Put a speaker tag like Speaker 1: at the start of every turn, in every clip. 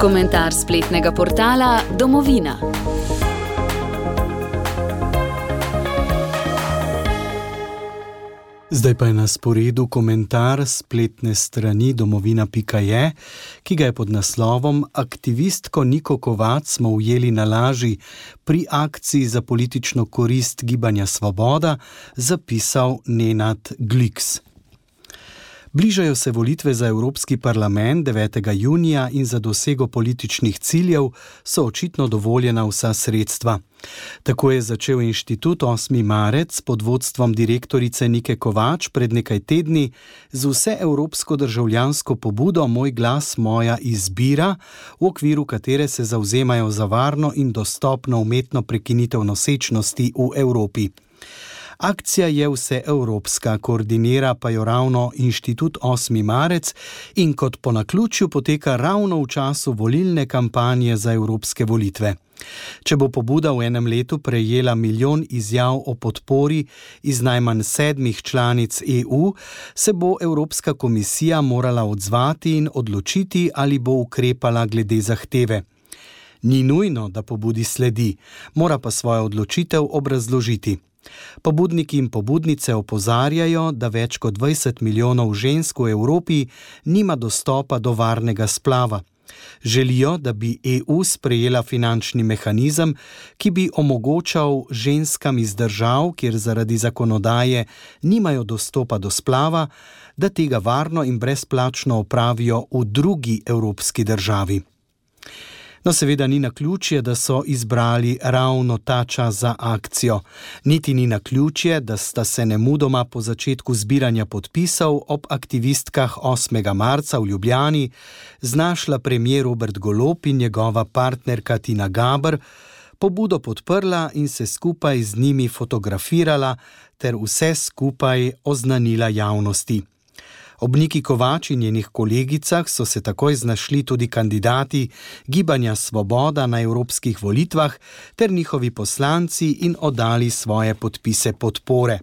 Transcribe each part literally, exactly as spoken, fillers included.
Speaker 1: Komentar spletnega portala Domovina.
Speaker 2: Zdaj pa je na sporedu komentar spletne strani domovina pika je, ki ga je pod naslovom Aktivistko Niko Kovač smo ujeli na laži pri akciji za politično korist Gibanja Svoboda zapisal Nenad Gliks. Bližajo se volitve za Evropski parlament devetega junija in za dosego političnih ciljev so očitno dovoljena vsa sredstva. Tako je začel inštitut osmi marec pod vodstvom direktorice Nike Kovač pred nekaj tedni z vseevropsko državljansko pobudo Moj glas, moja izbira, v okviru katere se zavzemajo za varno in dostopno umetno prekinitev nosečnosti v Evropi. Akcija je vseevropska, koordinira pa jo ravno inštitut osmi marec in kot po naključju poteka ravno v času volilne kampanje za evropske volitve. Če bo pobuda v enem letu prejela milijon izjav o podpori iz najmanj sedmih članic E U, se bo Evropska komisija morala odzvati in odločiti, ali bo ukrepala glede zahteve. Ni nujno, da pobudi sledi, mora pa svojo odločitev obrazložiti. Pobudniki in pobudnice opozarjajo, da več kot dvajset milijonov žensk v Evropi nima dostopa do varnega splava. Želijo, da bi E U sprejela finančni mehanizem, ki bi omogočal ženskam iz držav, kjer zaradi zakonodaje nimajo dostopa do splava, da tega varno in brezplačno opravijo v drugi evropski državi. No, seveda ni naključje, da so izbrali ravno ta čas za akcijo. Niti ni naključje, da sta se nemudoma po začetku zbiranja podpisov ob aktivistkah osmega marca v Ljubljani znašla premier Robert Golob in njegova partnerka Tina Gaber, pobudo podprla in se skupaj z njimi fotografirala ter vse skupaj oznanila javnosti. Ob Niki Kovač in njenih kolegicah so se takoj znašli tudi kandidati Gibanja Svoboda na evropskih volitvah ter njihovi poslanci in oddali svoje podpise podpore.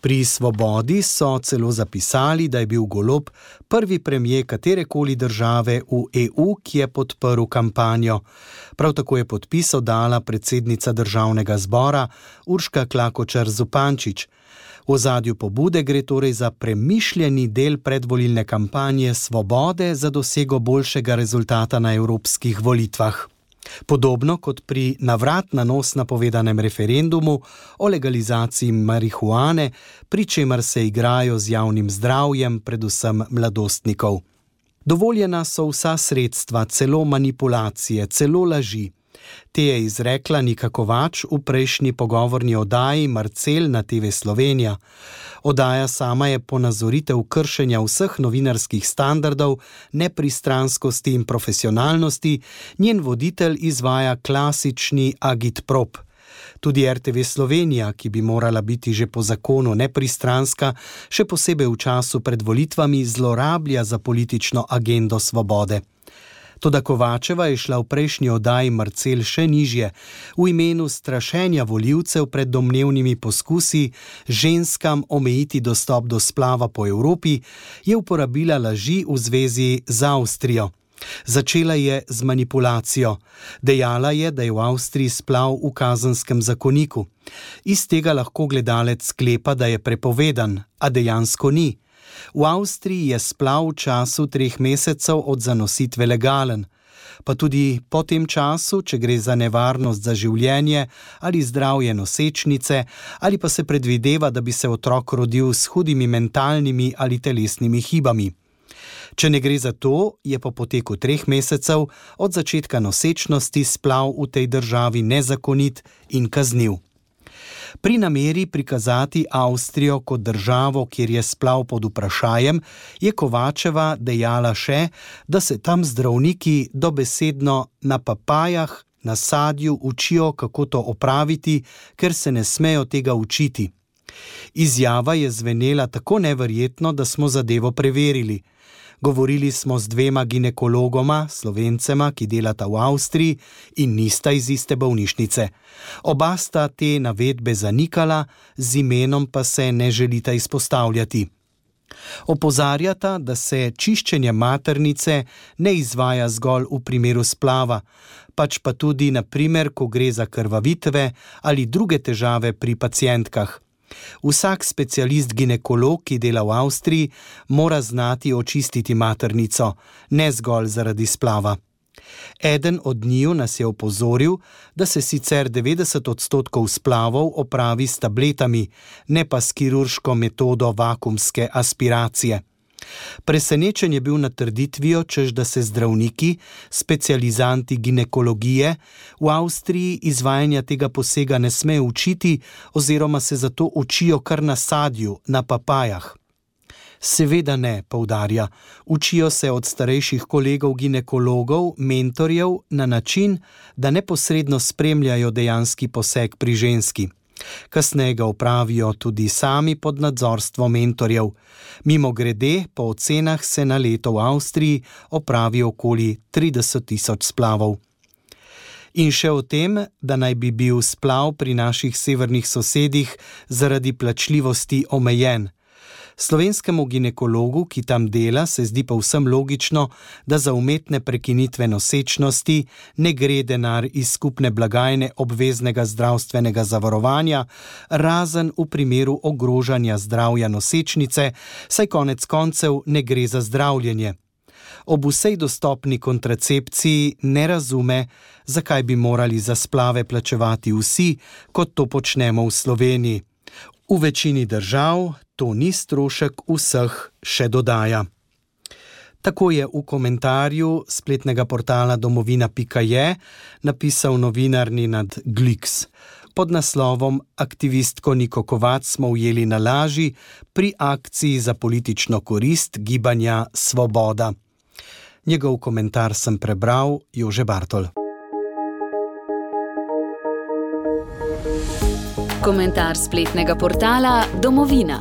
Speaker 2: Pri Svobodi so celo zapisali, da je bil Golob prvi premier katerekoli države v E U, ki je podprl kampanjo. Prav tako je podpis oddala predsednica državnega zbora Urška Klakočar Zupančič. V ozadju pobude gre torej za premišljeni del predvolilne kampanje Svobode za dosego boljšega rezultata na evropskih volitvah. Podobno kot pri navrat na nos napovedanem referendumu o legalizaciji marihuane, pri čemer se igrajo z javnim zdravjem, predvsem mladostnikov. Dovoljena so vsa sredstva, celo manipulacije, celo laži. Te je izrekla Nika Kovač v prejšnji pogovorni oddaji Marcel na T V Slovenija. Oddaja sama je ponazoritev kršenja vseh novinarskih standardov, nepristranskosti in profesionalnosti, njen voditelj izvaja klasični agitprop. Tudi R T V Slovenija, ki bi morala biti že po zakonu nepristranska, še posebej v času pred volitvami zlorablja za politično agendo Svobode. Toda Kovačeva je šla v prejšnji oddaji Marcel še nižje. V imenu strašenja volivcev pred domnevnimi poskusi ženskam omejiti dostop do splava po Evropi je uporabila laži v zvezi z Avstrijo. Začela je z manipulacijo. Dejala je, da je v Avstriji splav v kazenskem zakoniku. Iz tega lahko gledalec sklepa, da je prepovedan, a dejansko ni. V Avstriji je splav v času treh mesecev od zanositve legalen. Pa tudi po tem času, če gre za nevarnost za življenje ali zdravje nosečnice, ali pa se predvideva, da bi se otrok rodil s hudimi mentalnimi ali telesnimi hibami. Če ne gre za to, je po poteku treh mesecev od začetka nosečnosti splav v tej državi nezakonit in kazniv. Pri nameri prikazati Avstrijo kot državo, kjer je splav pod vprašajem, je Kovačeva dejala še, da se tam zdravniki dobesedno na papajah, na sadju učijo, kako to opraviti, ker se ne smejo tega učiti. Izjava je zvenela tako neverjetno, da smo zadevo preverili. Govorili smo z dvema ginekologoma, Slovencema, ki delata v Avstriji in nista iz iste bolnišnice. Oba sta te navedbe zanikala, z imenom pa se ne želita izpostavljati. Opozarjata, da se čiščenje maternice ne izvaja zgolj v primeru splava, pač pa tudi na primer, ko gre za krvavitve ali druge težave pri pacientkah. Vsak specialist ginekolog, ki dela v Avstriji, mora znati očistiti maternico, ne zgolj zaradi splava. Eden od njiju nas je opozoril, da se sicer devetdeset odstotkov splavov opravi s tabletami, ne pa s kirurško metodo vakuumske aspiracije. Presenečen je bil nad trditvijo, češ da se zdravniki, specializanti ginekologije, v Avstriji izvajanja tega posega ne smejo učiti oziroma se zato učijo kar na sadju, na papajah. Seveda ne, poudarja, učijo se od starejših kolegov ginekologov, mentorjev na način, da neposredno spremljajo dejanski poseg pri ženski. Kasneje ga opravijo tudi sami pod nadzorstvom mentorjev. Mimogrede, po ocenah se na leto v Avstriji opravi okoli trideset tisoč splavov. In še o tem, da naj bi bil splav pri naših severnih sosedih zaradi plačljivosti omejen. Slovenskemu ginekologu, ki tam dela, se zdi povsem logično, da za umetne prekinitve nosečnosti ne gre denar iz skupne blagajne obveznega zdravstvenega zavarovanja, razen v primeru ogrožanja zdravja nosečnice, saj konec koncev ne gre za zdravljenje. Ob vsej dostopni kontracepciji ne razume, zakaj bi morali za splave plačevati vsi, kot to počnemo v Sloveniji. V večini držav to ni strošek vseh, še dodaja. Tako je v komentarju spletnega portala domovina pika je napisal novinar Nenad Gliks. Pod naslovom Aktivistko Niko Kovač smo ujeli na laži pri akciji za politično korist gibanja Svoboda. Njegov komentar sem prebral, Jože Bartol.
Speaker 1: Komentar spletnega portala Domovina.